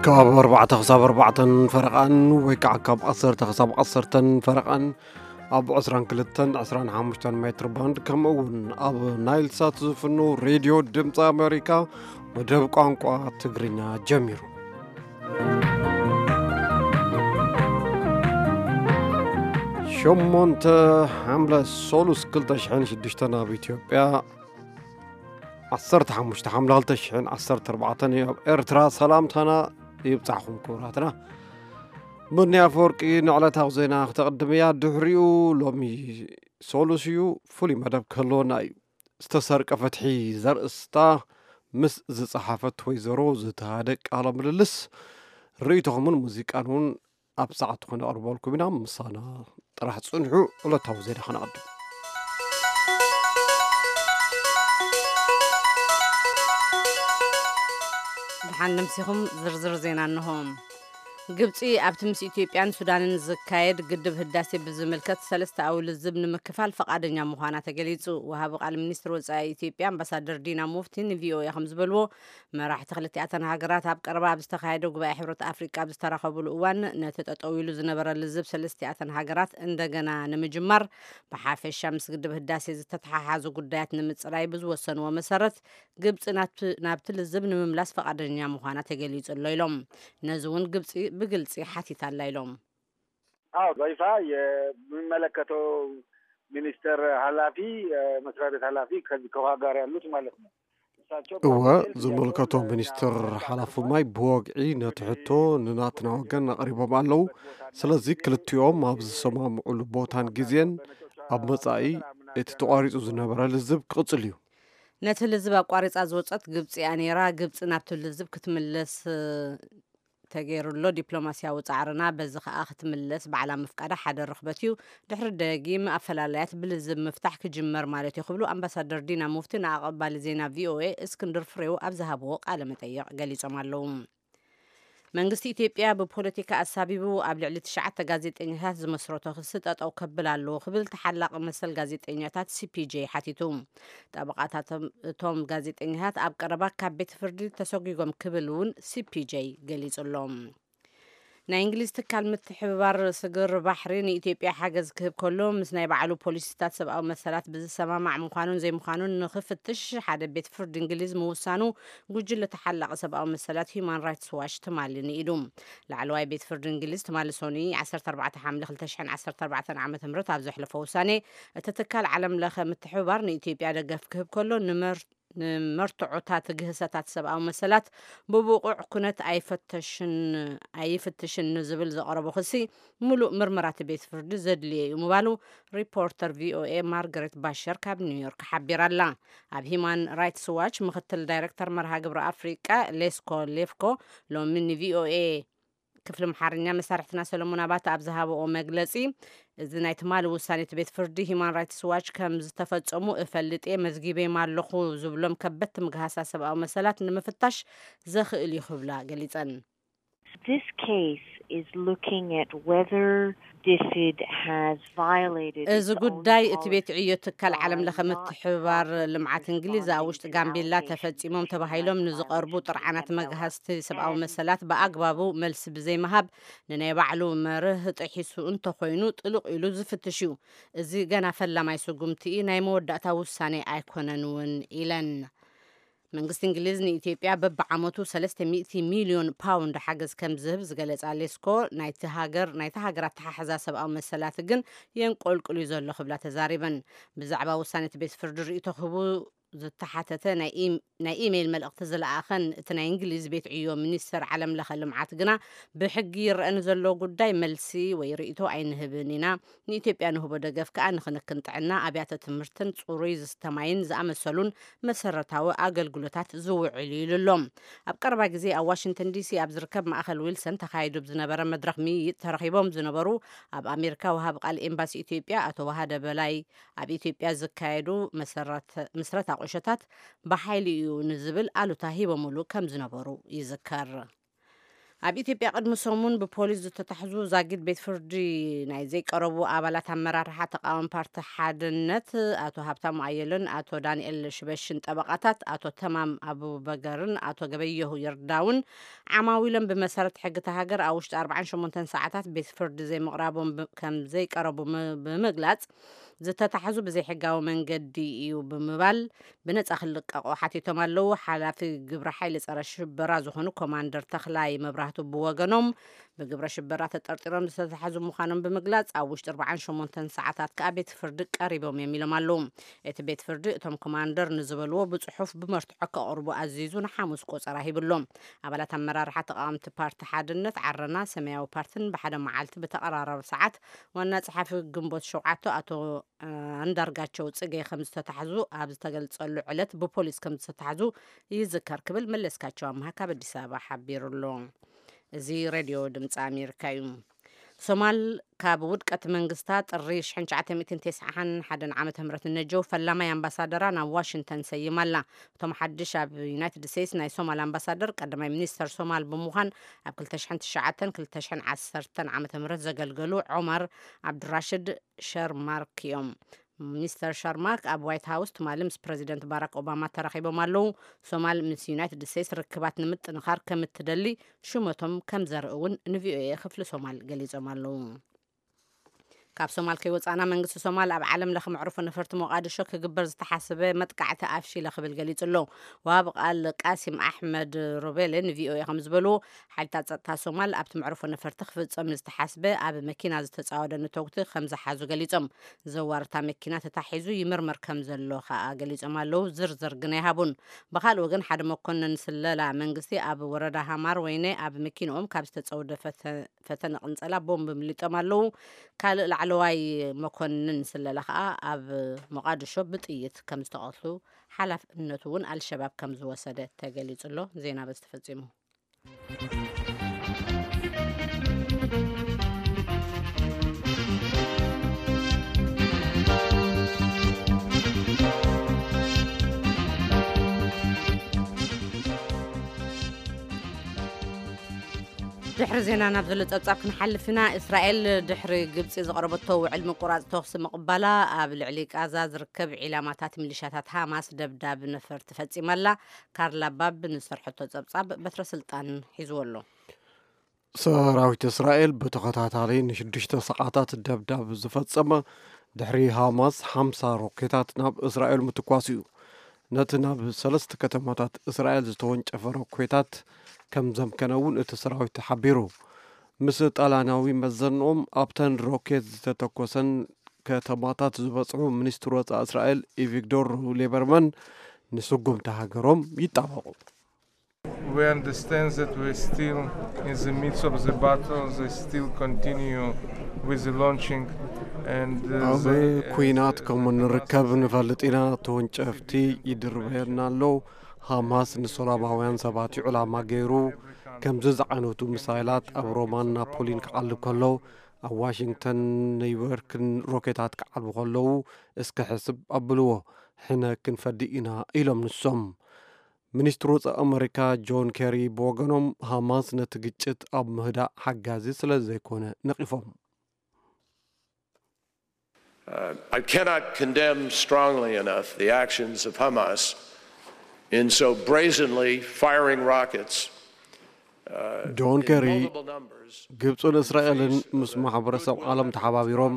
ካብ ኣርባዕተ ክሳብ ኣርባዕተን ፈረቓን ወይ ከዓ ካብ ዓሰርተ ክሳብ ዓሰርተን ፈረቓን ኣብ ዕስራን ክልተን ዕስራን ሓሙሽተን ሜትር ባንድ፣ ከምኡ እውን ኣብ ናይል ሳት ዝፍኖ ሬድዮ ድምፂ ኣሜሪካ መደብ ቋንቋ ትግርኛ ጀሚሩ። ሸሞንተ ሓምለ ሶሉስ ክልተ ሽሕን ሽዱሽተን ኣብ ኢትዮጵያ፣ ዓሰርተ ሓሙሽተ ሓምለ ክልተ ሽሕን ዓሰርተ ኣርባዕተን እዩ ኣብ ኤርትራ። ሰላምታና ይብጻሕኹም ክቡራትና። ምንያ ኣፈወርቂ ንዕለታዊ ዜና ክተቕድም እያ። ድሕሪኡ ሎሚ ሶሉስ እዩ፣ ፍሉይ መደብ ክህልወና እዩ። ዝተሰርቀ ፍትሒ ዘርእስታ ምስ ዝጸሓፈት ወይዘሮ ዝተሃደ ቃለ ምልልስ፣ ርእይቶኹምን ሙዚቃን እውን ኣብ ሰዓት ትኾነ ኣቕርበልኩም ኢና። ምሳና ጥራሕ ጽንሑ። ዕለታዊ ዜና ከነቐድም። ደሓን ንምሲኹም። ዝርዝር ዜና እንሆ። ግብጺ ኣብቲ ምስ ኢትዮጵያን ሱዳንን ዝካየድ ግድብ ህዳሴ ብዝምልከት ሰለስተኣዊ ልዝብ ንምክፋል ፈቓደኛ ምዃና ተገሊጹ። ወሃቢ ቃል ሚኒስትር ወጻኢ ኢትዮጵያ ኣምባሳደር ዲና ሙፍቲ ንቪኦኤ ከም ዝበልዎ፣ መራሕቲ ክልቲኣተን ሃገራት ኣብ ቀረባ ኣብ ዝተኻየደ ጉባኤ ሕብረት ኣፍሪቃ ኣብ ዝተራኸቡሉ እዋን፣ ነቲ ጠጠው ኢሉ ዝነበረ ልዝብ ሰለስቲኣተን ሃገራት እንደገና ንምጅማር፣ ብሓፈሻ ምስ ግድብ ህዳሴ ዝተተሓሓዙ ጉዳያት ንምጽራይ ብዝወሰንዎ መሰረት፣ ግብጺ ናብቲ፣ ናብቲ ልዝብ ንምምላስ ፈቓደኛ ምዃና ተገሊጹ ኣሎ ኢሎም። ነዚ እውን ግብጺ ብግልጺ ሓቲታ ኣላ ኢሎም። አዎ፣ በይፋ የሚመለከተው ሚኒስትር ኃላፊ፣ የመስሪያ ቤት ኃላፊ ከዚህ ከውሃ ጋር ያሉት ማለት ነው። እሳቸው እወ፣ በግልጽ ዝመልከቶም ያለውን ሚኒስትር ሓላፊ ማይ ብወግዒ ነቲ ሕቶ ንናትና ወገን ኣቕሪቦም ኣለዉ። ስለዚ ክልቲኦም ኣብ ዝሰማምዑሉ ቦታን ግዜን ኣብ መጻኢ እቲ ተቋሪጹ ዝነበረ ልዝብ ክቕጽል እዩ። ነቲ ልዝብ ኣቋሪጻ ዝወጸት ግብጺ እያ ነይራ። ግብጺ ናብቲ ልዝብ ክትምለስ ተገይሩ ኣሎ ዲፕሎማስያዊ ጻዕርና፣ በዚ ከኣ ክትምለስ ባዕላ ምፍቃዳ ሓደ ርኽበት እዩ። ድሕሪ ደጊም ኣፈላላያት ብልዝብ ምፍታሕ ክጅመር ማለት እዩ ክብሉ ኣምባሳደር ዲና ሙፍቲ ንኣቐባሊ ዜና ቪኦኤ እስክንድር ፍሬው ኣብ ዝሃብዎ ቃለ መጠይቕ ገሊጾም ኣለዉ። መንግስቲ ኢትዮጵያ ብፖለቲካ ኣሳቢቡ ኣብ ልዕሊ ትሽዓተ ጋዜጠኛታት ዝመስረቶ ክሲ ጠጠው ከብል ኣለዎ ክብል ተሓላቒ መሰል ጋዜጠኛታት ሲፒጄ ሓቲቱ። ጠበቓታቶም እቶም ጋዜጠኛታት ኣብ ቀረባ ካብ ቤት ፍርዲ ተሰጒጎም ክብል እውን ሲፒጄ ገሊጹ ኣሎ። ናይ እንግሊዝ ትካል ምትሕብባር ስግር ባሕሪ ንኢትዮጵያ ሓገዝ ክህብ ከሎ፣ ምስ ናይ ባዕሉ ፖሊሲታት ሰብኣዊ መሰላት ብዝሰማማዕ ምዃኑን ዘይምዃኑን ንኽፍትሽ ሓደ ቤት ፍርዲ እንግሊዝ ምውሳኑ ጉጅለ ተሓላቒ ሰብኣዊ መሰላት ሂዩማን ራይትስ ዋች ትማሊ ንኢዱ። ላዕለዋይ ቤት ፍርዲ እንግሊዝ ትማሊ ሰኑይ ዓሰርተ ኣርባዕተ ሓምለ ክልተ ሽሕን ዓሰርተ ኣርባዕተን ዓመተ ምህረት ኣብ ዘሕለፎ ውሳኔ፣ እቲ ትካል ዓለም ለኸ ምትሕብባር ንኢትዮጵያ ደገፍ ክህብ ከሎ፣ ንመር-፣ ንመርትዖታት ግህሰታት ሰብኣዊ መሰላት ብብቑዕ ኩነት ኣይፈተሽን፣ ኣይፍትሽን ንዝብል ዘቕረቦ ክሲ፣ ምሉእ ምርመራ እቲ ቤት ፍርዲ ዘድልዮ እዩ ምባሉ ሪፖርተር ቪኦኤ ማርገሬት ባሸር ካብ ኒውዮርክ ሓቢራ ኣላ። ኣብ ሂማን ራይትስ ዋች ምክትል ዳይሬክተር መርሃ ግብሪ ኣፍሪቃ ሌስኮ ሌፍኮ ሎሚ ንቪኦኤ ክፍሊ ኣምሓርኛ መሳርሕትና ሰለሞን ኣባተ ኣብ ዝሃበኦ መግለጺ፣ እዚ ናይ ትማሊ ውሳኔ እቲ ቤት ፍርዲ ሂማን ራይትስ ዋች ከም ዝተፈጸሙ እፈልጥ እየ፣ መዝጊበዮም ኣለኹ ዝብሎም ከበድቲ ምግሃሳት ሰብኣዊ መሰላት ንምፍታሽ ዘኽእል እዩ ክብላ ገሊጸን። This case is looking at whether DFID has violated እዚ its own ጉዳይ እቲ ቤት policy ዕዮ ትካል ዓለም ለኸ ምትሕብባር ልምዓት እንግሊዝ ኣብ ውሽጢ ጋምቤላ ተፈጺሞም ተባሂሎም ንዝቐርቡ ጥርዓናት መግሃስቲ ሰብኣዊ መሰላት ብኣግባቡ መልሲ ብዘይምሃብ ንናይ ባዕሉ መርህ ጥሒሱ እንተኾይኑ ጥልቕ ኢሉ ዝፍትሽ እዩ። እዚ ገና ፈላማይ ስጉምቲ እዩ፣ ናይ መወዳእታ ውሳኔ ኣይኮነን እውን ኢለን። መንግስቲ እንግሊዝ ንኢትዮጵያ በብዓመቱ ሰለስተ ሚእቲ ሚልዮን ፓውንድ ሓገዝ ከም ዝህብ ዝገለጻ ሌስኮ፣ ናይቲ ሃገር፣ ናይቲ ሃገር ኣተሓሕዛ ሰብኣዊ መሰላት ግን የንቆልቁል እዩ ዘሎ ክብላ ተዛሪበን። ብዛዕባ ውሳኔ እቲ ቤት ፍርዲ ርእይቶ ክህቡ ዝተሓተተ ናይ ኢም-፣ ናይ ኢሜይል መልእኽቲ ዝለኣኸን እቲ ናይ እንግሊዝ ቤት ዕዮ ሚኒስተር ዓለም ለኸ ልምዓት ግና፣ ብሕጊ ይረአ ንዘሎ ጉዳይ መልሲ ወይ ርእይቶ ኣይንህብን ኢና። ንኢትዮጵያ ንህቦ ደገፍ ከኣ ንክንክን ጥዕና፣ ኣብያተ ትምህርትን ጽሩይ ዝስተ ማይን ዝኣመሰሉን መሰረታዊ ኣገልግሎታት ዝውዕል እዩ ኢሉ ኣሎ። ኣብ ቀረባ ግዜ ኣብ ዋሽንግተን ዲሲ ኣብ ዝርከብ ማእከል ዊልሰን ተኻይዱ ብዝነበረ መድረኽ ምይይጥ ተረኺቦም ዝነበሩ ኣብ ኣሜሪካ ወሃቢ ቃል ኤምባሲ ኢትዮጵያ ኣቶ ዋሃደ በላይ፣ ኣብ ኢትዮጵያ ዝካየዱ መሰረት-፣ ምስረታ ቁሸታት ብሓይሊ እዩ ንዝብል ኣሉታ ሂቦምሉ ከም ዝነበሩ ይዝከር። ኣብ ኢትዮጵያ ቅድሚ ሰሙን ብፖሊስ ዝተታሕዙ ዛጊድ ቤት ፍርዲ ናይ ዘይቀረቡ ኣባላት ኣመራርሓ ተቃዋሚ ፓርቲ ሓድነት ኣቶ ሃብታሙ ኣየለን ኣቶ ዳንኤል ሽበሽን ጠበቃታት ኣቶ ተማም ኣቡበገርን ኣቶ ገበየሁ ይርዳውን ዓማዊሎም ብመሰረት ሕጊ እታ ሃገር ኣብ ውሽጢ ኣርባዓን ሸሞንተን ሰዓታት ቤት ፍርዲ ዘይምቕራቦም ብ-፣ ከም ዘይቀረቡ ም-፣ ብምግላጽ ዝተታሕዙ ብዘይሕጋዊ መንገዲ እዩ ብምባል ብነጻ ክልቀቑ ሓቲቶም ኣለዉ። ሓላፊ ግብረ ሓይሊ ጸረ ሽበራ ዝኾኑ ኮማንደር ተኽላይ መብራህቱ ብወገኖም ብግብረ ሽበራ ተጠርጢሮም ዝተታሕዙ ምዃኖም ብምግላጽ ኣብ ውሽጢ ኣርባዓን ሸሞንተን ሰዓታት ከኣ ቤት ፍርዲ ቀሪቦም እዮም ኢሎም ኣለዉ። እቲ ቤት ፍርዲ እቶም ኮማንደር ንዝበልዎ ብጽሑፍ ብመርትዖ ከቕርቡ ኣዚዙ ንሓሙስ ቆጸራ ሂብሎም። ኣባላት ኣመራርሓ ተቃወምቲ ፓርቲ ሓድነት ዓረና ሰማያዊ ፓርትን ብሓደ መዓልቲ ብተቐራራቢ ሰዓት ዋና ጸሓፊ ግንቦት ሸውዓተ ኣቶ ኣንዳርጋቸው ጽጌ ከም ዝተታሕዙ ኣብ ዝተገልጸሉ ዕለት ብፖሊስ ከም ዝተታሕዙ ይዝከር ክብል መለስካቸው ኣምሃ ካብ ኣዲስ ኣበባ ሓቢሩ ኣሎ። እዚ ሬድዮ ድምፂ ኣሜሪካ እዩ። ሶማል ካብ ውድቀት መንግስታ ጥሪ ሽሕን ትሽዓተ ሚእትን ተስዓን ሓደን ዓመተ ምህረት ንነጀው ፈላማይ ኣምባሳደራ ናብ ዋሽንግተን ሰይማ ኣላ። እቶም ሓድሽ ኣብ ዩናይትድ ስቴትስ ናይ ሶማል ኣምባሳደር ቀዳማይ ሚኒስተር ሶማል ብምዃን ኣብ ክልተ ሽሕን ትሽዓተን ክልተ ሽሕን ዓሰርተን ዓመተ ምህረት ዘገልገሉ ዑመር ዓብዱራሽድ ሸርማርክ እዮም። ሚስተር ሻርማክ ኣብ ዋይት ሃውስ ትማሊ ምስ ፕረዚደንት ባራክ ኦባማ ተራኺቦም ኣለዉ። ሶማል ምስ ዩናይትድ ስቴትስ ርክባት ንምጥንኻር ከም እትደሊ ሽመቶም ከም ዘርኢ እውን ንቪኦኤ ክፍሊ ሶማል ገሊጾም ኣለዉ። ካብ ሶማል ከይወጻእና መንግስቲ ሶማል ኣብ ዓለም ለኸ መዕርፎ ነፈርቲ ሞቃዲሾ ክግበር ዝተሓሰበ መጥቃዕቲ ኣፍሺለ ክብል ገሊጹ ኣሎ። ወሃቢ ቃል ቃሲም ኣሕመድ ሮቤለ ንቪኦኤ ከም ዝበልዎ ሓይልታት ጸጥታ ሶማል ኣብቲ መዕርፎ ነፈርቲ ክፍጸም ዝተሓስበ ኣብ መኪና ዝተጻወደ ንተጉቲ ከም ዝሓዙ ገሊጾም። ዘዋርታ መኪና ተታሒዙ ይምርመር ከም ዘሎ ከኣ ገሊጾም ኣለዉ። ዝርዝር ግን ኣይሃቡን። ብኻልእ ወገን ሓደ መኮንን ስለላ መንግስቲ ኣብ ወረዳ ሃማር ወይነ ኣብ መኪንኦም ካብ ዝተጸውደ ፈተ-፣ ፈተነ ቅንጸላ ቦምብ ምሊጦም ኣለዉ። ካልእ ላዕለዋይ መኮንን ስለላ ከኣ ኣብ ሞቃዲሾ ብጥይት ከም ዝተቐትሉ ሓላፍነቱ እውን ኣልሸባብ ከም ዝወሰደ ተገሊጹ ኣሎ። ዜና በዚ ተፈጺሙ። ድሕሪ ዜና ናብ ዘሎ ጸብጻብ ክንሓልፍ ኢና። እስራኤል ድሕሪ ግብጺ ዘቕረበቶ ውዕል ምቁራጽ ተኹሲ ምቕባላ ኣብ ልዕሊ ቃዛ ዝርከብ ዒላማታት ሚሊሻታት ሃማስ ደብዳብ ነፈርቲ ፈጺማ ኣላ። ካርላ ባብ ንዝሰርሐቶ ጸብጻብ በትረ ስልጣን ሒዝዎ ኣሎ። ሰራዊት እስራኤል ብተኸታታሊ ንሽዱሽተ ሰዓታት ደብዳብ ዝፈጸመ ድሕሪ ሃማስ ሓምሳ ሮኬታት ናብ እስራኤል ምትኳስ እዩ። ነቲ ናብ ሰለስተ ከተማታት እስራኤል ዝተወንጨፈ ሮኬታት ከም ዘምከነ እውን እቲ ሰራዊት ሓቢሩ። ምስ ጣልያናዊ መዘንኦም ኣብተን ሮኬት ዝተተኮሰን ከተማታት ዝበጽሑ ሚኒስትር ወጻኢ እስራኤል ኢቪግዶር ሌበርማን ንስጉምቲ ሃገሮም ይጣበቑ። We understand that we're still in the midst of the battle. They still continue with the launching and, uh, ኣብ they, uh, ኩናት ከም እንርከብ ንፈልጥ ኢና። ተወንጨፍቲ ይድርበየና ኣሎ። ሃማስ ንሰላማውያን ሰባት እዩ ዕላማ ገይሩ። ከምዚ ዝዓይነቱ ሚሳይላት ኣብ ሮማን ናፖሊን ክዓልብ ከሎ፣ ኣብ ዋሽንግተን ኒውዮርክን ሮኬታት ክዓልቡ ከለዉ፣ እስከ ሕስብ ኣብልዎ። ሕነ ክንፈዲ ኢና ኢሎም ንሶም። ሚኒስትር ወጻኢ ኣመሪካ ጆን ኬሪ ብወገኖም፣ ሃማስ ነቲ ግጭት ኣብ ምህዳእ ሓጋዚ ስለ ዘይኮነ ነቒፎም። Uh, I cannot condemn strongly enough the actions of Hamas in so brazenly firing rockets, uh, ጆን in ኬሪ፣ multiple numbers. ግብጽን እስራኤልን ምስ ማሕበረሰብ ዓለም ተሓባቢሮም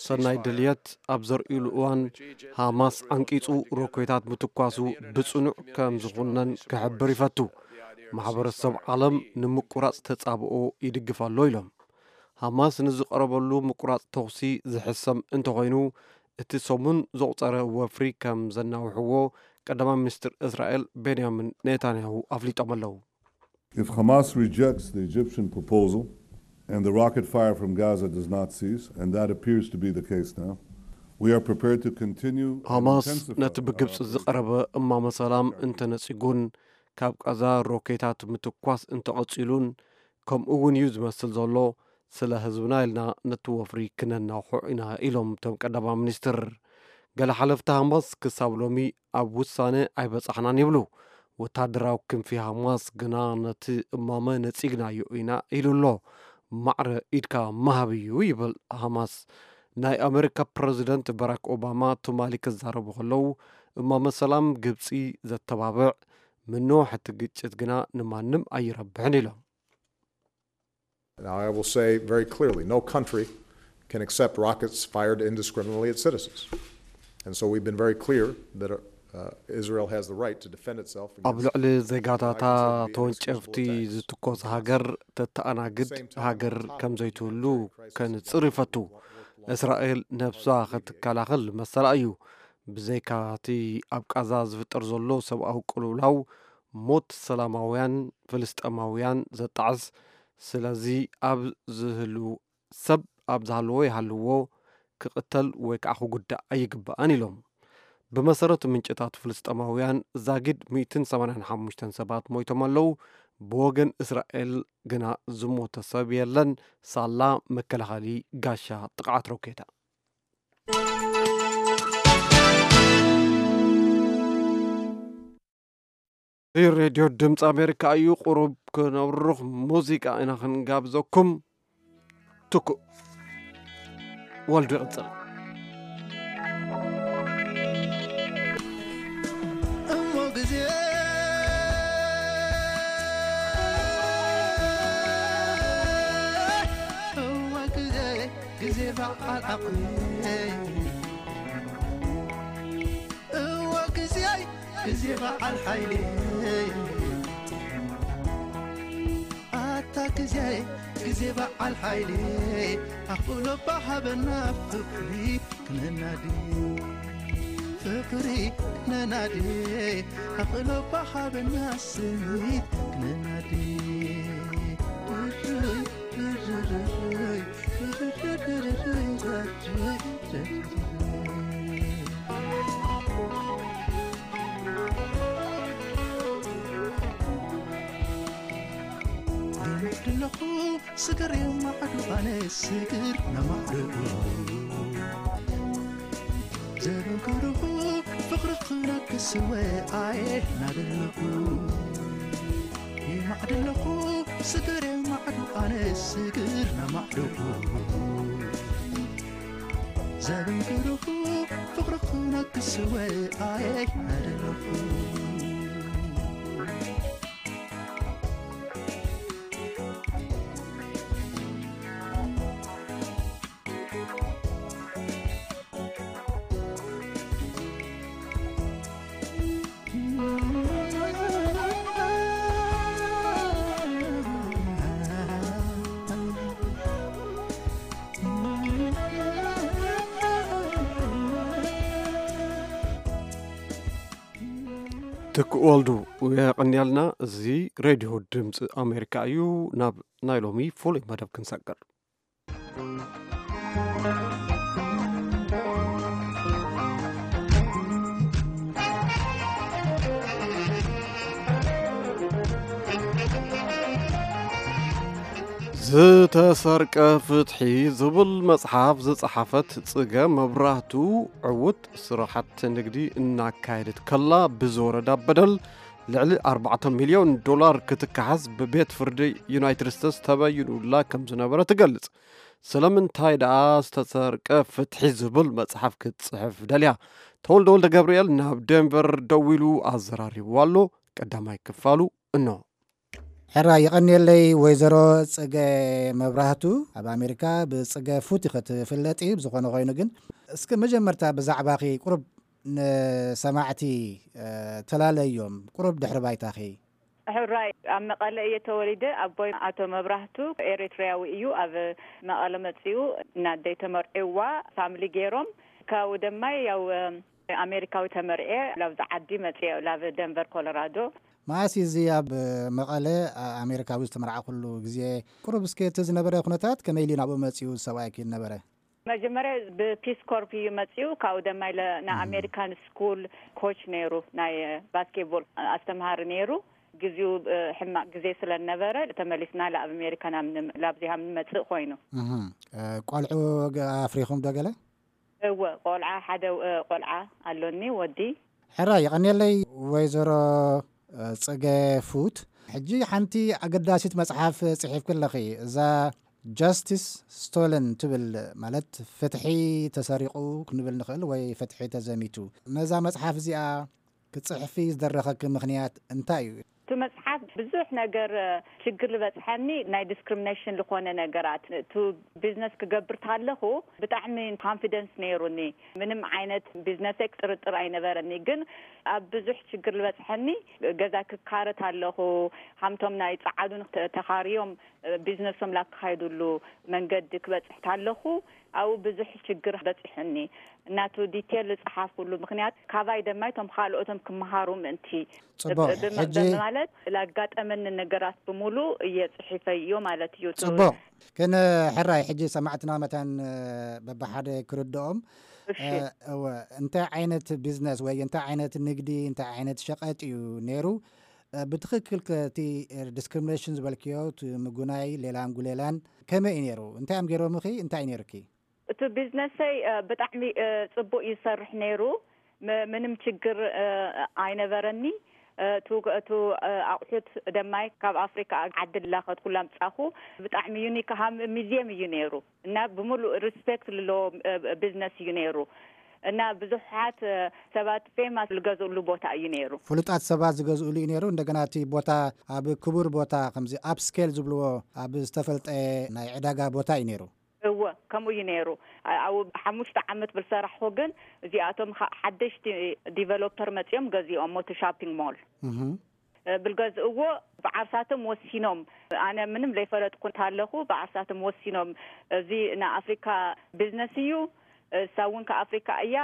ሰናይ ድልየት ኣብ ዘርእዩሉ እዋን፣ ሃማስ ዓንቂጹ ሮኬታት ምትኳሱ ብጽኑዕ ከም ዝኹነን ክሕብር ይፈቱ። ማሕበረሰብ ዓለም ንምቁራጽ ተጻብኦ ይድግፍ ኣሎ ኢሎም። ሃማስ ንዝቐረበሉ ምቁራጽ ተኹሲ ዝሕሰም እንተኾይኑ፣ እቲ ሰሙን ዘቑጸረ ወፍሪ ከም ዘናውሕዎ ቀዳማይ ሚኒስትር እስራኤል ቤንያሚን ኔታንያሁ ኣፍሊጦም ኣለዉ። If Hamas rejects the Egyptian proposal and the rocket fire from Gaza does not cease, and that appears to be the case now, we are prepared to continue and ሃማስ intensify ነቲ ብግብጺ our ዝቐረበ እማመ ሰላም እንተነጺጉን ካብ ቃዛ ሮኬታት ምትኳስ እንተቐጺሉን፣ ከምኡ እውን እዩ ዝመስል ዘሎ፣ ስለ ህዝብና ኢልና ነቲ ወፍሪ ክነናውሖ ኢና ኢሎም እቶም ቀዳማይ ሚኒስትር። ገለ ሓለፍቲ ሃማስ ክሳብ ሎሚ ኣብ ውሳነ ኣይበጻሕናን ይብሉ። ወታደራዊ ክንፊ ሃማስ ግና ነቲ እማመ ነጺግናዮ ኢና ኢሉ ኣሎ። ማዕረ ኢድካ ምሃብ እዩ ይብል ሃማስ። ናይ ኣመሪካ ፕረዚደንት ባራክ ኦባማ ትማሊ ክዛረቡ ከለዉ፣ እማመ ሰላም ግብጺ ዘተባብዕ፣ ምንዋሕ እቲ ግጭት ግና ንማንም ኣይረብሕን ኢሎም። Now, I will say very clearly, no country can accept rockets fired indiscriminately at citizens. And so we've been very clear that uh, Israel has the right to defend itself ኣብ against ልዕሊ ዜጋታታ ተወንጨፍቲ ዝትኮስ ሃገር ተተኣናግድ ሃገር ከም ዘይትህሉ ከንጽር ይፈቱ። እስራኤል ነብሳ ክትከላኸል መሰላ እዩ። ብዘይካ እቲ ኣብ ቃዛ ዝፍጠር ዘሎ ሰብኣዊ ቅልውላው፣ ሞት ሰላማውያን ፍልስጤማውያን ዘጣዕስ፣ ስለዚ ኣብ ዝህሉ ሰብ ኣብ ዝሃለዎ ይሃልዎ ክቕተል ወይ ከዓ ክጉዳእ ኣይግባእን ኢሎም። ብመሰረት ምንጭታት ፍልስጤማውያን ዛጊድ ሚእትን ሰማንያን ሓሙሽተን ሰባት ሞይቶም ኣለዉ። ብወገን እስራኤል ግና ዝሞተ ሰብ የለን፣ ሳላ መከላኸሊ ጋሻ ጥቕዓት ሮኬታ። እዚ ሬድዮ ድምፂ ኣሜሪካ እዩ። ቁሩብ ክነብርኽ ሙዚቃ ኢና ክንጋብዘኩም። ትኩእ ወልዱ ይቕፅል። እሞ ግዜ እዋ ግዜ ግዜ በዓል ዓቕሊ እዋ ግዜ ግዜ በዓል ሓይሊ ኣታ ግዜ ግዜ በዓል ሓይሊ ኣኽእሎ ባሃበና ፍቕሪ ክነናዲ ፍቕሪ ክነናዲ ኣኽእሎ ባሃበና ስኒት ክነናዲ ድርይ ድርርይ ድርርይ ድርርይ ድርርይ ኣለኹ ስገር የማዕዱ ኣነ ስግር ነማዕዱ ዘበንከርኹ ፍቕርኽነ ክስወ ኣየ ናደለኹ የማዕድለኹ ስግር የማዕዱ ኣነ ስግር ነማዕዱ ዘበንከርኹ ፍቕርኽነ ክስወ ኣየ ናደለኹ ትኩእ ወልዱ የቐንየልና። እዚ ሬድዮ ድምፂ ኣሜሪካ እዩ። ናብ ናይ ሎሚ ፍሉይ መደብ ክንሰግር። ዝተሰርቀ ፍትሒ ዝብል መጽሓፍ ዝጸሓፈት ጽገ መብራህቱ፣ ዕዉት ስራሓት ንግዲ እናካየደት ከላ ብዝወረዳ በደል ልዕሊ ኣርባዕተ ሚልዮን ዶላር ክትከሓስ ብቤት ፍርዲ ዩናይትድ ስቴትስ ተበይኑላ ከም ዝነበረ ትገልጽ። ስለምንታይ ደኣ ዝተሰርቀ ፍትሒ ዝብል መጽሓፍ ክትጽሕፍ ደልያ? ተወልደ ወልደ ገብርኤል ናብ ዴንቨር ደዊሉ ኣዘራሪብዋ ኣሎ። ቀዳማይ ክፋሉ እኖ። ሕራይ የቐንየለይ ወይዘሮ ጽገ መብራህቱ። ኣብ ኣሜሪካ ብጽገ ፉት ኢኸ ትፍለጢ። ብዝኾነ ኮይኑ ግን እስኪ መጀመርታ ብዛዕባኺ ቁሩብ ንሰማዕቲ ተላለዮም፣ ቁሩብ ድሕሪ ባይታኺ። ሕራይ ኣብ መቐለ እየ ተወሊደ። ኣቦይ ኣቶ መብራህቱ ኤሪትሪያዊ እዩ። ኣብ መቐለ መጺኡ እናደይ ተመርዒዋ ፋምሊ ገይሮም። ካብኡ ደማይ ያው ኣሜሪካዊ ተመርዔ ላብዚ ዓዲ መጽየ ላብ ደንቨር ኮሎራዶ። መኣስ እዚ ኣብ መቐለ ኣሜሪካዊ ዝተመርዓኹሉ ግዜ? ቁሩብ እስከ እቲ ዝነበረ ኩነታት ከመይ ኢሉ ናብኡ መጺኡ ሰብኣይኪ ነበረ? መጀመርያ ብፒስ ኮርፕ እዩ መጺኡ። ካብኡ ደማ ኢለ ናይ ኣሜሪካን ስኩል ኮች ነይሩ፣ ናይ ባስኬትቦል ኣስተምሃሪ ነይሩ። ግዜኡ ሕማቕ ግዜ ስለ ነበረ ተመሊስና ላብ ኣሜሪካ ላብዚሃ ንመጽእ ኮይኑ። እህ፣ ቆልዑ ኣፍሪኹም ዶ ገለ? እወ፣ ቆልዓ ሓደ ቆልዓ ኣሎኒ፣ ወዲ። ሕራይ የቐንየለይ ወይዘሮ ጽገ ፉት። ሕጂ ሓንቲ ኣገዳሲት መጽሓፍ ጽሒፍኪ ኣለኺ፣ እዛ ጃስቲስ ስቶለን ትብል፣ ማለት ፍትሒ ተሰሪቑ ክንብል ንኽእል ወይ ፍትሒ ተዘሚቱ። ነዛ መጽሓፍ እዚኣ ክትጽሕፊ ዝደረኸኪ ምኽንያት እንታይ እዩ? እቲ መጽሓፍ ብዙሕ ነገር፣ እ፣ ሽግር ዝበጽሐኒ ናይ ዲስክሪሚኔሽን ዝኾነ ነገራት። እቱ ቢዝነስ ክገብር ታለኹ ብጣዕሚ ኮንፊደንስ ነይሩኒ። ምንም ዓይነት ቢዝነሰይ ክጥርጥር ኣይነበረኒ። ግን ኣብ ብዙሕ ሽግር ዝበጽሐኒ ገዛ ክካረ ታለኹ፣ ሃምቶም ናይ ጸዓዱን ተ-፣ ተኻርዮም፣ እ፣ ቢዝነሶም ላካይዱሉ መንገዲ ክበጽሕ ታለኹ ኣብኡ ብዙሕ ሽግር በጺሑኒ። እናቱ ዲቴል ዝጸሓፍኩሉ ምኽንያት ካባይ ደማይ ቶም ካልኦቶም ክመሃሩ ምእንቲ ጽቡቕ። ብ-፣ ብ-፣ ሕጂ ብማለት ላጋጠመኒ ነገራት ብምሉእ እየ ጽሒፈዮ ማለት እዩ። ጽቡቕ። ግን ሕራይ ሕጂ ሰማዕትና መታን፣ እ፣ በብሓደ ክርድኦም፣ እሺ። እ፣ እወ፣ እንታይ ዓይነት ቢዝነስ ወይ እንታይ ዓይነት ንግዲ፣ እንታይ ዓይነት ሸቐጥ እዩ ነይሩ? እ፣ ብትኽክል ከ እቲ፣ እ፣ ዲስክሪሚኔሽን ዝበልክዮ፣ እቲ ምጉናይ፣ ሌላን ጉሌላን ከመይ እዩ ነይሩ? እንታይ እዮም ገይሮምኺ? እንታይ እዩ ነይሩኪ? እቲ ቢዝነሰይ፣ እ፣ ብጣዕሚ፣ እ፣ ጽቡቕ ይሰርሕ ነይሩ። ም-፣ ምንም ችግር፣ እ፣ ኣይነበረኒ። እ፣ እቱ፣ እቱ፣ እ፣ ኣቑሑት ደማይ ካብ ኣፍሪካ ዓዲ ላኸት ኩላ ምጻኹ። ብጣዕሚ ዩኒክ ሃም ሚዚየም እዩ ነይሩ። እና ብምሉእ ሪስፔክት ዝለዎ፣ እ፣ ቢዝነስ እዩ ነይሩ። እና ብዙሓት፣ እ፣ ሰባት ፌማስ ዝገዝእሉ ቦታ እዩ ነይሩ። ፍሉጣት ሰባት ዝገዝእሉ እዩ ነይሩ። እንደገና እቲ ቦታ ኣብ ክቡር ቦታ፣ ከምዚ ኣፕስኬል ዝብልዎ ኣብ ዝተፈልጠ ናይ ዕዳጋ ቦታ እዩ ነይሩ። እወ፣ ከምኡ እዩ ነይሩ። ኣ-፣ ኣብኡ ሓሙሽተ ዓመት ብዝሰራሕኹ ግን እዚኣቶም ኻ-፣ ሓደሽቲ ዲቨሎፐር መጺኦም ገዚኦም እቲ ሻፒንግ ሞል። እህ። እ፣ ብልገዝእዎ ብዓርሳቶም ወሲኖም፣ ኣነ ምንም ዘይፈለጥኩ እንተሃለኹ ብዓርሳቶም ወሲኖም፣ እዚ ንኣፍሪካ ቢዝነስ እዩ፣ እሳ እውን ከኣፍሪካ እያ፣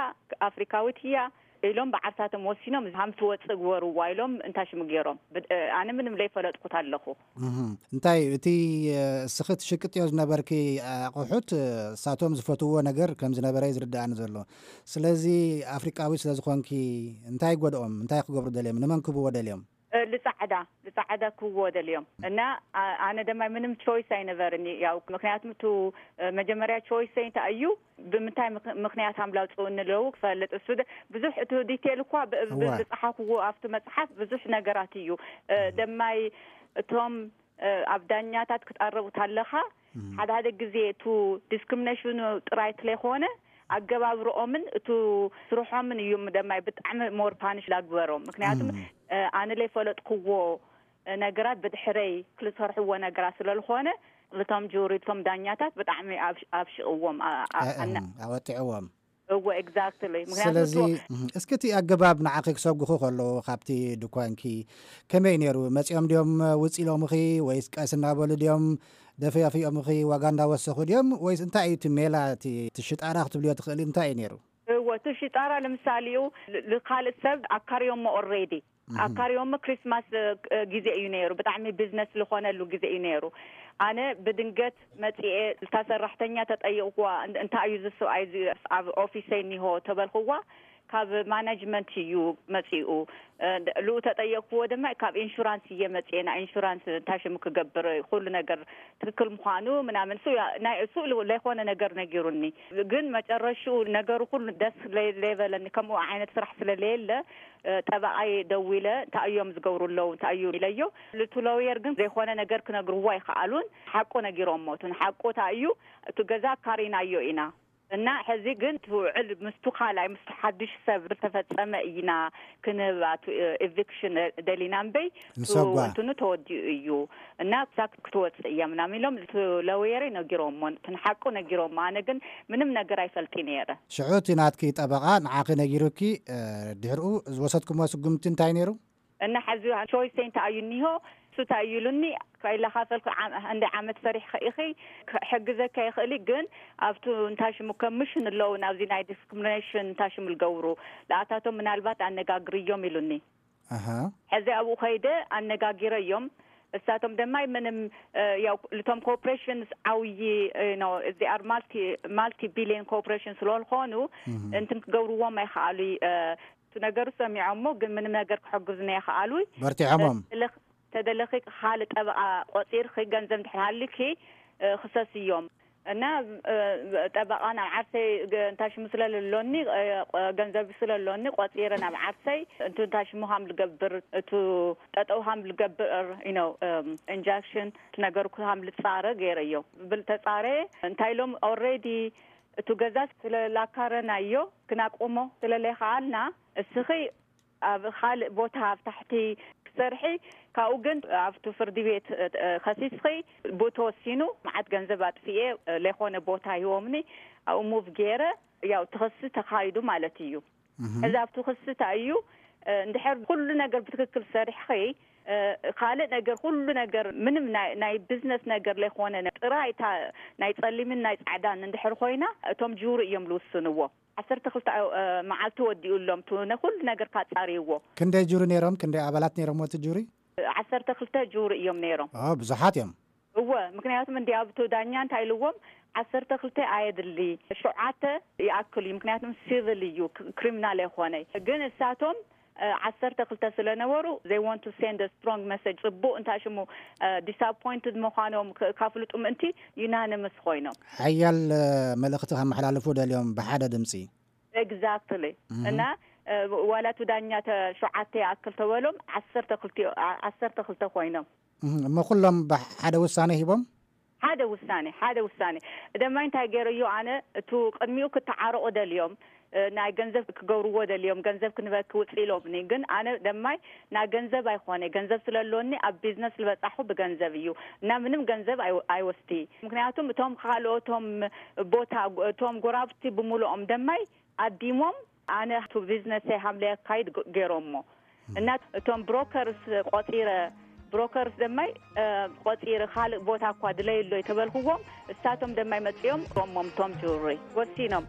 ኣፍሪካዊት እያ ኢሎም ብዓርሳቶም ወሲኖም፣ ሃምቲ ወፅእ ግበርዋ ኢሎም እንታይ ሽሙ ገይሮም። ብ-፣ እ፣ ኣነ ምንም ዘይፈለጥኩ ኣለኹ። እህ። እንታይ እቲ፣ እ፣ እስኺ ትሽቅጥዮ ዝነበርኪ ኣቑሑት፣ እ፣ እሳቶም ዝፈትውዎ ነገር ከም ዝነበረ እዩ ዝርድኣኒ ዘሎ። ስለዚ ኣፍሪቃዊት ስለ ዝኾንኪ እንታይ ይጎድኦም? እንታይ ክገብሩ ደልዮም? ንመን ክህብዎ ደልዮም? እ፣ ልጻዕዳ፣ ልጻዕዳ ክህብዎ ደልዮም። እና ኣ-፣ ኣነ ድማ ምንም ቾይስ ኣይነበርኒ። ያው ምክንያቱም እቱ፣ እ፣ መጀመርያ ቾይሰይ እንታይ እዩ፣ ብምንታይ ምክ-፣ ምክንያት ኣምላውፅኡ እንለው ክፈልጥ። እሱ ደ-፣ ብዙሕ እቲ ዲቴል እኳ ብ-፣ ብ-፣ እወ። ዝጸሓፍዎ ኣብቲ መጽሓፍ ብዙሕ ነገራት እዩ። እ፣ ደማይ እቶም፣ እ፣ ኣብ ዳኛታት ክትቐርቡ ታለኻ፣ እም። ሓደ ሓደ ግዜ እቱ ዲስክሪሚኔሽኑ ጥራይ ትለይኮነ፣ ኣገባብርኦምን እቱ ስርሖምን እዩ ደማይ ብጣዕሚ ሞር ፓኒሽ ላግበሮም። ምክንያቱም፣ እም። እ፣ ኣነ ለይፈለጥክዎ፣ እ፣ ነገራት ብድሕረይ ክልሰርሕዎ ነገራት ስለልኾነ፣ እቶም ጁሪ፣ እቶም ዳኛታት ብጣዕሚ ኣብ-፣ ኣብሽቕዎም፣ ኣ-፣ ኣ-፣ እ፣ ኣነ እም፣ ኣወጢዕዎም። እወ፣ ኤግዛክትሊ። ምክንያቱ ስለዚ፣ እቶ እም፣ እስኪ እቲ ኣገባብ ንዓኺ ክሰጉኹ ከለዉ ካብቲ ድኳንኪ ከመይ ነይሩ? መጺኦም ድዮም ውጽእ ኢሎምኺ ወይስ ቀስ እናበሉ ድዮም ደፈያፊኦምኺ ዋጋ እንዳወሰኹ ድዮም? ወይስ እንታይ እዩ እቲ ሜላ፣ እቲ፣ እቲ ሽጣራ ክትብልዮ ትኽእሊ እንታይ እዩ ነይሩ? እወ፣ እቲ ሽጣራ ለምሳሌ እዩ ል-፣ ልካልእ ሰብ ኣካርዮሞ ኦልሬዲ። እህ። ኣካርዮሞ ክሪስማስ፣ እ፣ እ፣ ግዜ እዩ ነይሩ። ብጣዕሚ ቢዝነስ ልኾነሉ ግዜ እዩ ነይሩ። ኣነ ብድንገት መጺኤ እታ ሰራሕተኛ ተጠይቕዋ፣ "እን-፣ እንታይ እዩ እዚ ሰብኣይ እዚ ኣብ ኦፊሰይ እኒሆ?" ተበልኽዋ፣ "ካብ ማናጅመንት እዩ መጺኡ። እ፣ ድ-፣ ልኡ ተጠየቕክዎ ድማ ካብ ኢንሹራንስ እየ መጺኤ፣ ናይ ኢንሹራንስ እንታይ ሽሙ ክገብር፣ ኩሉ ነገር ትክክል ምዃኑ ምናምን፣ እሱ ያ-፣ ናይ እሱ ል-፣ ለይኮነ ነገር ነጊሩኒ። ግን መጨረሽኡ ነገሩ ኩሉ ደስ ለይ-፣ ለይበለኒ፣ ከምኡ ዓይነት ስራሕ ስለለየለ፣ እ፣ ጠበቓይ ደዊለ፣ "እንታይ እዮም ዝገብሩ ኣለዉ? እንታይ እዩ?" ኢለዮ። ልቱ ሎየር ግን ዘይኮነ ነገር ክነግርዎ ኣይከኣሉን። ሓቁ ነጊሮሞ። እቲ ንሓቁ እንታይ እዩ? እቲ ገዛ ኣካሪናዮ ኢና። እና ሕዚ ግን እቲ ውዕል ምስቱ ካልኣይ፣ ምስቱ ሓድሽ ሰብ ዝተፈጸመ ኢና ክንህብ፣ ኣቱ፣ እ፣ ኤቪክሽን ደሊና እምበይ፣ ንሰጓ። እቱ እንትኑ ተወዲኡ እዩ። እና ክሳብ ክትወጽእ እያ ምናምን ኢሎም፣ እቲ ለወየረይ ነጊሮሞ፣ እቲ ንሓቁ ነጊሮሞ። ኣነ ግን ምንም ነገር ኣይፈልጥ ነይረ። ሽዑ እቲ ናትኪ ጠበቓ ንዓኺ ነጊሩኪ፣ እ፣ ድሕርኡ ዝወሰድኩሞ ስጉምቲ እንታይ ነይሩ? እና ሕዚ ቾይሰይ እንታይ እዩ እኒሆ? እሱ እንታይ እዩ ኢሉኒ? ከይላኻፈልኩ ዓም-፣ እንደ ዓመት ሰሪሕኺ ኢኺ፣ ክሕግዘካ ይኽእል እዩ፣ ግን ኣብቱ እንታይ ሽሙ ኮሚሽን ኣለዉ፣ ናብዚ ናይ ዲስክሪሚኔሽን እንታይ ሽሙ ዝገብሩ፣ ለኣታቶም ምናልባት ኣነጋግርዮም ኢሉኒ። ኣሃ። ሕዚ ኣብኡ ከይደ ኣነጋጊረዮም። እሳቶም ድማ ምንም፣ እ፣ ያው ልቶም ኮርፖሬሽንስ ዓብዪ፣ እ፣ ነው፣ እዚ ኣር ማልቲ፣ ማልቲ ቢሊዮን ኮርፖሬሽን ስለዝኾኑ፣ እህ። እንትን ክገብርዎም ኣይኸኣሉ፣ እ፣ እቲ ነገሩ ሰሚዖሞ፣ ግን ምንም ነገር ክሕግዙኒ ኣይኸኣሉ። በርቲዖሞም። ተደለኽ-፣ ተደለኺ ካልእ ጠበቓ ቆጺርኺ ገንዘብ እንድሕር ሃልዩኪ፣ እ፣ ክሰስዮም። እና ጠበቓ ናብ ዓርሰይ እንታይ ሽሙ ስለለሎኒ፣ ገንዘብ ስለሎኒ ቆፂረ ናብ ዓርሰይ እንቱ እንታይ ሽሙ ሃም ልገብር፣ እቱ ጠጠው ሃም ልገብር ኢኖ ኢንጃክሽን ትነገርኩ ሃም ልፃረ ገይረዮ። ብል ተፃረ እንታይ ኢሎም ኦልሬዲ እቱ ገዛ ስለላካረናዮ ክናቆሞ ስለለይኸኣልና፣ እስኺ ኣብ ካልእ ቦታ ኣብ ታሕቲ ክሰርሒ፣ ካብኡ ግን ኣብቱ ፍርዲ ቤት ከሲስኺ ብኡ ተወሲኑ፣ መዓት ገንዘብ ኣጥፍኤ ለይኮነ ቦታ ሂቦምኒ፣ ኣብኡ ሙቭ ገይረ። ያው ትኸሲ ተኻይዱ ማለት እዩ። እዚ ኣብቱ ክሲ እንታይ እዩ? እንድሕር ኩሉ ነገር ብትክክል ሰሪሕኺ፣ ካልእ ነገር ኩሉ ነገር ምንም ናይ ቢዝነስ ነገር ለይኮነ፣ ጥራይ እታ ናይ ፀሊምን ናይ ፃዕዳን እንድሕር ኮይና፣ እቶም ጅውሪ እዮም ልውስንዎ። ዓሰርተ ክልተ መዓልቲ ወዲኡ ኣሎም ቱ ነኩሉ ነገር ካጻርይዎ። ክንደይ ጁሪ ነይሮም? ክንደይ ኣባላት ነይሮም እቲ ጁሪ? ዓሰርተ ክልተ ጁሪ እዮም ነይሮም። ኦ፣ ብዙሓት እዮም። እወ፣ ምክንያቱም እንዲ ኣብቱ ዳኛ እንታይ ኢልዎም፣ ዓሰርተ ክልተ ኣየድሊ፣ ሸውዓተ ይኣክል እዩ። ምክንያቱም ሲቪል እዩ፣ ክሪሚናል ኣይኮነይ። ግን እሳቶም ዓሰርተ ክልተ ስለነበሩ፣ they want to send a strong message፣ ጽቡቕ እንታይ ሽሙ፣ ዲስኣፖይንትድ ምዃኖም ካፍልጡ ምእንቲ ዩናኒመስ ኮይኖም። ሓያል መልእኽቲ ከመሓላልፉ ደልዮም ብሓደ ድምፂ። ኤግዛክትሊ። እና ዋላ እቲ ዳኛ ሸውዓተ ይኣክል ተበሎም፣ ዓሰርተ ክልተ ኮይኖም። እሞ ኩሎም ብሓደ ውሳነ ሂቦም? ሓደ ውሳኔ፣ ሓደ ውሳኔ። ደማይ እንታይ ገይረዮ ኣነ፣ እቱ ቅድሚኡ ክተዓረቑ ደልዮም፣ ናይ ገንዘብ ክገብርዎ ደልዮም፣ ገንዘብ ክንበኪ ውፅእ ኢሎምኒ። ግን ኣነ ደማይ ናይ ገንዘብ ኣይኮነ፣ ገንዘብ ስለለኒ ኣብ ቢዝነስ ዝበፃሑ ብገንዘብ እዩ እና ምንም ገንዘብ ኣይወስዲ። ምክንያቱም እቶም ካልኦቶም ቦታ፣ እቶም ጎራብቲ ብምሉኦም ደማይ ኣዲሞም፣ ኣነ ቱ ቢዝነሰይ ሃምለ ኣካይድ ገይሮሞ እና እቶም ብሮከርስ ቆፂረ፣ ብሮከርስ ደማይ ቆፂረ ካልእ ቦታ እኳ ድለይሎ ተበልክዎም፣ እሳቶም ደማይ መፂኦም ሮሞም ቶም ጅሪ ወሲኖም።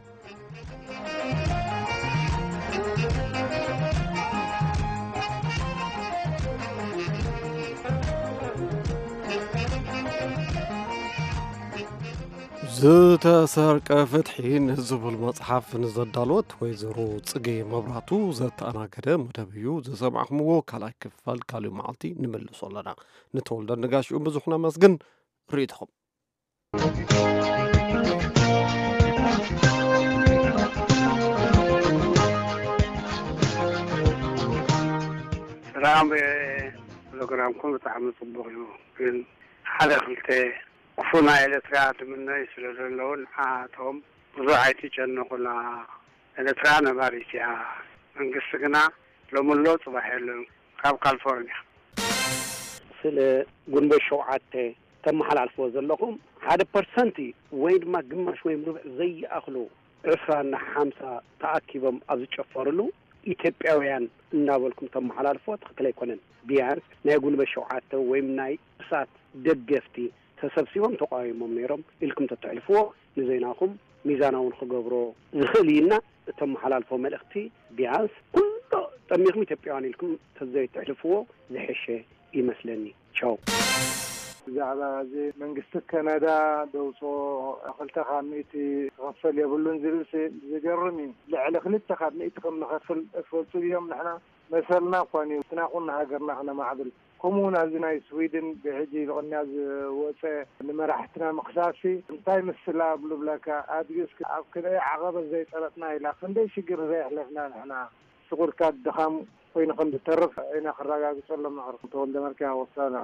ዝተሰርቀ ፍትሒ ንዝብል መጽሓፍ ንዘዳለወት ወይዘሮ ጽጌ መብራቱ ዘተኣናገደ መደብ እዩ ዝሰማዕኹምዎ። ካልኣይ ክፋል ካልእ መዓልቲ ንምልሶ ኣለና። ንተወልደ ንጋሽኡ ብዙሕ ነመስግን። ርእይቶኹም። ሰላም፣ ፕሮግራምኩም ብጣዕሚ ጽቡቕ እዩ። ግን ሓደ ክልተ ክፉእ ናይ ኤርትራ ትምነዩ ስለ ዘለዉ ንዓቶም ብዙሕ ኣይትጨነቑላ። ኤርትራ ነባሪት እያ። መንግስቲ ግና ሎምሎ ጽባሕ የለን። ካብ ካሊፎርኒያ። ስለ ጉንበት ሸውዓተ ተመሓላልፍዎ ዘለኹም ሓደ ፐርሰንት ወይ ድማ ግማሽ ወይም ርብዒ ዘይኣኽሉ ዕስራና ሓምሳ ተኣኪቦም ኣብ ዝጨፈርሉ ኢትዮጵያውያን እናበልኩም ተመሓላልፍዎ ትኽክል ኣይኮነን። ቢያንስ ናይ ጉንበት ሸውዓተ ወይም ናይ እሳት ደገፍቲ ተሰብሲቦም ተቃዊሞም ነይሮም ኢልኩም ተተሕልፍዎ ንዜናኹም ሚዛናዊ ንክገብሮ ዝኽእል እዩ እና እተመሓላልፎ መልእኽቲ ቢያንስ ኩሎ ጠሚኹም ኢትዮጵያውያን ኢልኩም ተዘይተሕልፍዎ ዝሐሸ ይመስለኒ። ቻው። ብዛዕባ እዚ መንግስቲ ከናዳ ደውፅኦ ክልተ ካብ ሚእቲ ክኸፈል የብሉን ዝብል ሲ ዝገርም እዩ። ልዕሊ ክልተ ካብ ሚእቲ ከም ንኸፍል እፈልጡ እዮም። ንሕና መሰልና እኳ እዩ እቲ ናኹን ሃገርና ክነማዕብል። ከምኡ እውን ኣብዚ ናይ ስዊድን ብሕጂ ብቕንያ ዝወፀ ንመራሕትና ምኽሳሲ እንታይ ምስላ ብሉ ብለካ ኣድጊ እስኪ ኣብ ክንደይ ዓቐበት ዘይጠለጥና ኢላ ክንደይ ሽግር ዘየሕለፍና ንሕና ስቑርካ ድኻም ኮይኑ ከም ዝተርፍ ኢና ክረጋግፀሎም ንኽእል። ተወልደ መልክያ ወሳና።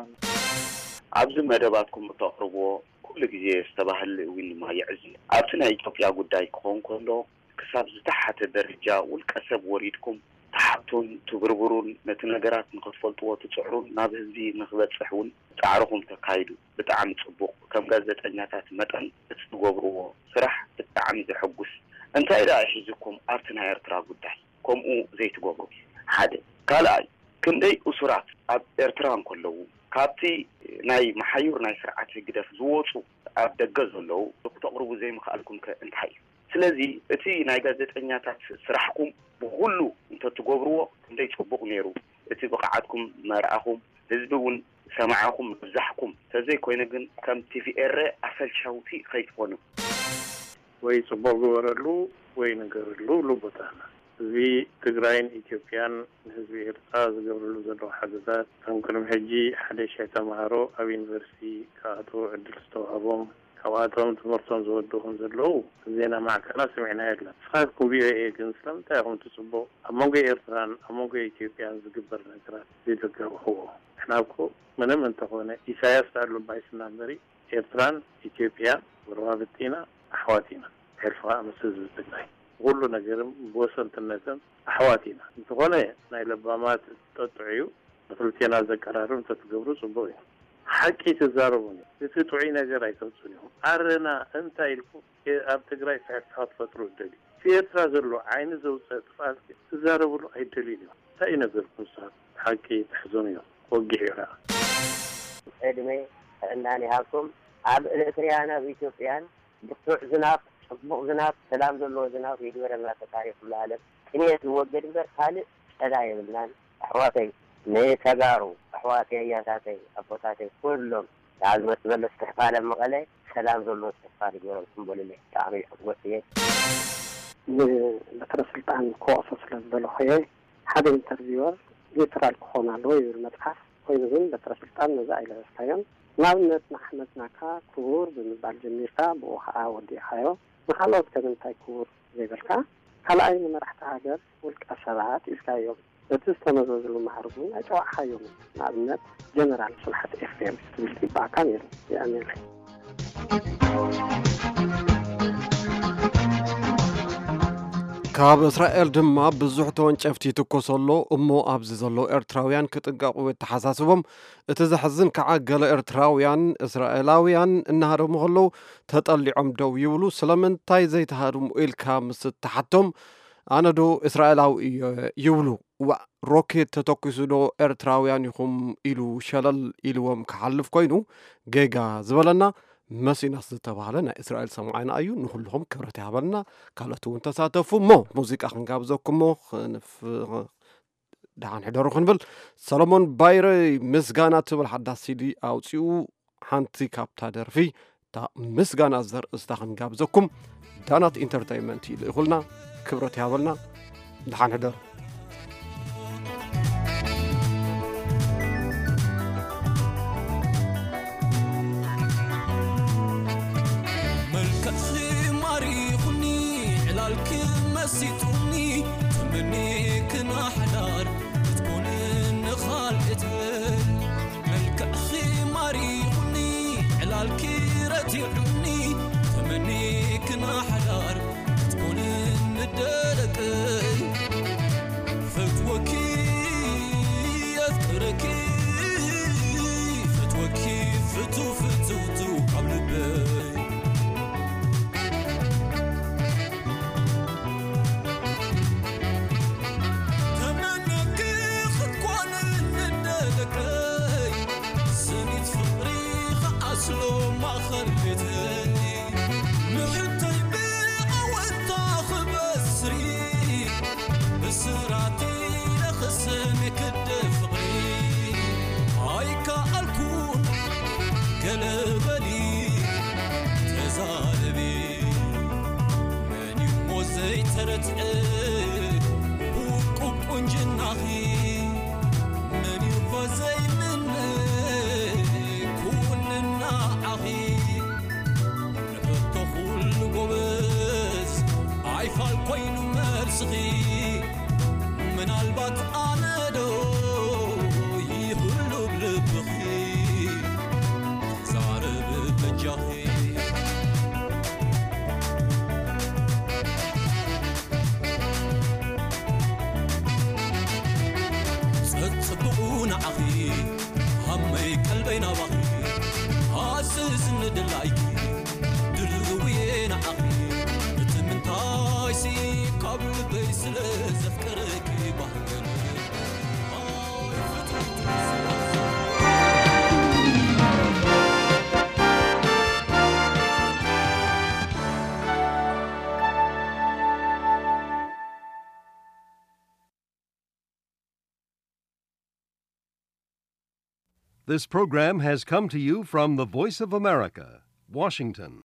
ኣብዚ መደባትኩም እተቕርብዎ ኩሉ ግዜ ዝተባህለ እውን ድማ የዕዝብ። ኣብቲ ናይ ኢትዮጵያ ጉዳይ ክኸውን ከሎ ክሳብ ዝተሓተ ደረጃ ውልቀ ሰብ ወሪድኩም ትሓቱን ትብርብሩን ነቲ ነገራት ንኽትፈልጥዎ ትፅዕሩን ናብ ህዝቢ ንኽበፅሕ እውን ፃዕርኹም ተካይዱ። ብጣዕሚ ፅቡቕ። ከም ጋዜጠኛታት መጠን እቲ ትገብርዎ ስራሕ ብጣዕሚ ዘሐጉስ። እንታይ ደኣ ሒዝኩም ኣብቲ ናይ ኤርትራ ጉዳይ ከምኡ ዘይትገብሩ? ሓደ። ካልኣይ፣ ክንደይ እሱራት ኣብ ኤርትራ እንከለዉ ካብቲ ናይ መሓዩር ናይ ስርዓት ህግደፍ ዝወፁ ኣብ ደገ ዘለዉ ክተቕርቡ ዘይምኽኣልኩም ከ እንታይ እዩ? ስለዚ እቲ ናይ ጋዜጠኛታት ስራሕኩም ብኹሉ እንተትገብርዎ ክንደይ ጽቡቕ ነይሩ። እቲ ብቕዓትኩም መርኣኹም፣ ህዝቢ እውን ሰማዕኹም ምብዛሕኩም። ተዘይኮይኑ ግን ከም ቲቪ ኤረ ኣሰልቻውቲ ከይትኾኑ። ወይ ጽቡቕ ግበረሉ ወይ ንገረሉ ይብሉ ኣቦታትና። እዚ ትግራይን ኢትዮጵያን ንህዝቢ ኤርትራ ዝገብርሉ ዘለዉ ሓገዛት፣ እቶም ቅድሚ ሕጂ ሓደ ሺሕ ተምሃሮ ኣብ ዩኒቨርሲቲ ክኣትዉ ዕድል ዝተዋህቦም፣ ካብኣቶም ትምህርቶም ዝወዱ ከም ዘለዉ ዜና ማዕከናት ሰሚዕና የለን። ንስኻትኩም ቪኦኤ ግን ስለምንታይ ኢኹም ትጽበው ኣብ መንጎ ኤርትራን ኣብ መንጎ ኢትዮጵያን ዝግበር ነገራት ዘይተጋብሕዎ? ንሕና እኮ ምንም እንተኾነ ኢሳያስ ኣሉ ባይስና እምበሪ ኤርትራን ኢትዮጵያን ጎረባብቲ ኢና፣ ኣሕዋት ኢና። ሕልፊ ከዓ ምስ ህዝቢ ትግራይ ብኩሉ ነገርም ብወሰንትነትም ኣሕዋት ኢና። እንተኾነ ናይ ለባማት ጠጥዑ እዩ። ንክልቴና ዘቀራርብ እንተትገብሩ ጽቡቅ እዩ። ሓቂ ትዛረቡን እዩ። እቲ ጥዑይ ነገር ኣይተውጽኡን ኢኹም። ኣረና እንታይ ኢልኩም ኣብ ትግራይ ፍሕፍሓ ትፈጥሩ እደልዩ። እቲ ኤርትራ ዘሎ ዓይኒ ዘውፅእ ጥፍኣት ትዛረብሉ ኣይደልዩን እዮም። እንታይ እዩ ነገርኩም ንስኻት? ሓቂ ተሕዘኑ እዮም። ወጊሕ እዩ ኸዓ። ዕድመ ጥዕናን ይሃብኩም። ኣብ ኤርትርያን ኣብ ኢትዮጵያን ብርቱዕ ዝናብ፣ ጽቡቕ ዝናብ፣ ሰላም ዘለዎ ዝናብ ይግበረልና ፈጣሪ ኩሉ ዓለም። ጥሜት ይወገድ እምበር ካልእ ጸጋ የብልናን። ኣሕዋተይ፣ ንተጋሩ ኣሕዋተይ፣ ኣያታተይ፣ ኣቦታተይ፣ ኩሎም ንኣዝመት ዝበለስ ክሕፋለ መቐለ ሰላም ዘለዎ ክሕፋል ይግበረልኩም በሉለይ። ብጣዕሚ ይሕጎስ እየ። ንበትረ ስልጣን ክወቕሶ ስለ ዝደለኹ እየ። ሓደ ኢንተርቪወር ኒውትራል ክኾን ኣለዎ ይብል መጽሓፍ። ኮይኑ ግን በትረ ስልጣን ነዚ ኣይለበስካዮን። ንኣብነት ንኣሕመድ ናካ ክቡር ብምባል ጀሚርካ ብኡ ኸዓ ወዲእኻዮ። ንኻልኦት ከ ንምንታይ ክቡር ዘይበልካ? ካልኣይ ንመራሕቲ ሃገር ውልቀ ሰባት ኢልካዮም። በቲ ዝተመዘዝሉ ማዕርግ እውን ኣይጸዋዕኻዮምን። ንኣብነት ጀነራል ስብሓት ኤፍሬም ክትብል ይግባኣካ ነይሩ። የቐንየለይ። ካብ እስራኤል ድማ ብዙሕ ተወንጨፍቲ ይትኮስ ኣሎ እሞ ኣብዚ ዘለዉ ኤርትራውያን ክጥንቀቑ የተሓሳስቦም። እቲ ዘሕዝን ከዓ ገለ ኤርትራውያን እስራኤላውያን እናሃደሙ ከለዉ ተጠሊዖም ደው ይብሉ። ስለምንታይ ዘይተሃድሙ ኢልካ ምስ እትሓቶም ኣነ ዶ እስራኤላዊ እየ ይብሉ። ዋእ ሮኬት ተተኲሱ ዶ ኤርትራውያን ኢኹም ኢሉ ሸለል ኢልዎም ክሓልፍ ኮይኑ ጌጋ ዝበለና መሲናስ ዝተባህለ ናይ እስራኤል ሰምዓይና እዩ። ንኹልኹም ክብረት ይሃበልና። ካልኦት እውን ተሳተፉ እሞ ሙዚቃ ክንጋብዘኩም እሞ ክንፍ- ደሓን ሕደሩ ክንብል ሰሎሞን ባይረ ምስጋና ትብል ሓዳስ ሲዲ ኣውፂኡ። ሓንቲ ካብታ ደርፊ እታ ምስጋና ዘርእስታ ክንጋብዘኩም ዳናት ኢንተርተይመንት ይልእኹልና። ክብረት ይሃበልና። ደሓን ሕደሩ። መልክዕኺ ማሪኹኒ ዕላልኪ መሲጡኒ ተመኒክና ሓዳር ክትኮንን ንኻልእት መልክዕኺ ማሪኹኒ ዕላልኪ ረቲዑኒ ተመኒክና ሓዳር ክትኮንን ንደለቀይ ፈትወኪ ኣፍቅረኪ ፈትወኪ ፍቱ ፍትውቱ ካብ ልበይ ተመነኪ ክትኮን ንደለቀይ ሰኒት ፍቕሪ ከኣስሎ ማእኸል ቤተይ ንሕተይ ብኣወንታ ክበስሪ ብስራቲ ለኽሰን ክደ ፍቕሪ ኣይከኣልኩን ገለ በሊ ተዛረቢ መን እሞ ዘይተረትዐ ውቁብ ቁንጅናኺ መን እሞ ዘይምነ ኩውንና ዓኺ ንሕቶ ኩሉ ጎበዝ ኣይፋል ኮይኑ መልስኺ ምናልባት ኣነ ዶ ይህሉ ብልብኺ ዛረብ በጃኺ ጸጽብቑ ንዓኺ ሃመይ ቀልበይ ናባኺ ሃስስ ንድላይኪ ድልውየ ንዓኺ እቲ ምንታይሲ ካብ ልበይ ስለ ዘፍቀረኪ ባህገን This program has come to you from the Voice of America, Washington.